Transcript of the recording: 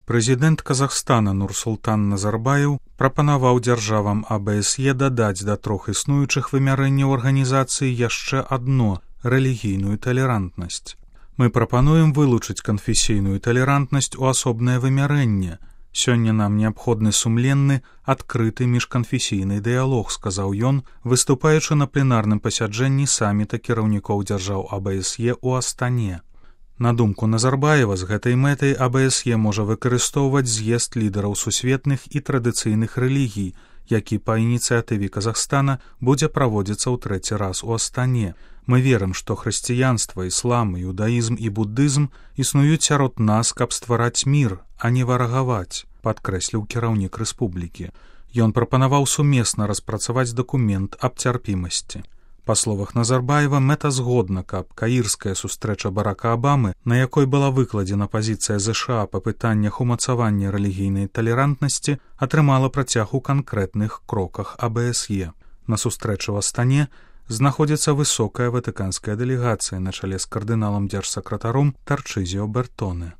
Прэзідэнт Казахстана Нурсултан Назарбаев прапанаваў дзяржавам АБСЕ дадаць да 3 існуючых вымярэнняў арганізацыі яшчэ адно – рэлігійную талерантнасць. Мы прапануем вылучыць канфесійную талерантнасць у асобнае вымярэнне. Сёння нам неабходны сумленны, адкрыты міжканфесійны дыялог, сказаў ён, выступаючы на пленарным пасяджэнні саміта кіраўнікоў дзяржаў АБСЕ ў Астане. На думку Назарбаева, з гэтай мэтай АБСЕ можа выкарыстоўваць з'езд лідараў сусветных і традыцыйных рэлігій, які па ініцыятыве Казахстана будзе праводзіцца ў 3-й раз у Астане. Мы верым, што хрысціянства, іслам, іудаізм і буддызм існуюць сярод нас, каб ствараць мір, а не варагаваць, падкрэсліў кіраўнік рэспублікі. Ён прапанаваў сумесна распрацаваць дакумент аб цярпімасці. Па словах Назарбаева, мэта згодна, каб каірская сустрэча Барака Абамы, на якой была выкладзена пазіцыя ЗША па пытаннях умацавання рэлігійнай талерантнасці, атрымала працяг у канкрэтных кроках АБСЕ. На сустрэчы ў Астане знаходзіцца высокая ватыканская дэлегацыя на чале з кардыналам-дзяржсакратаром Тарчызіо Бертоне.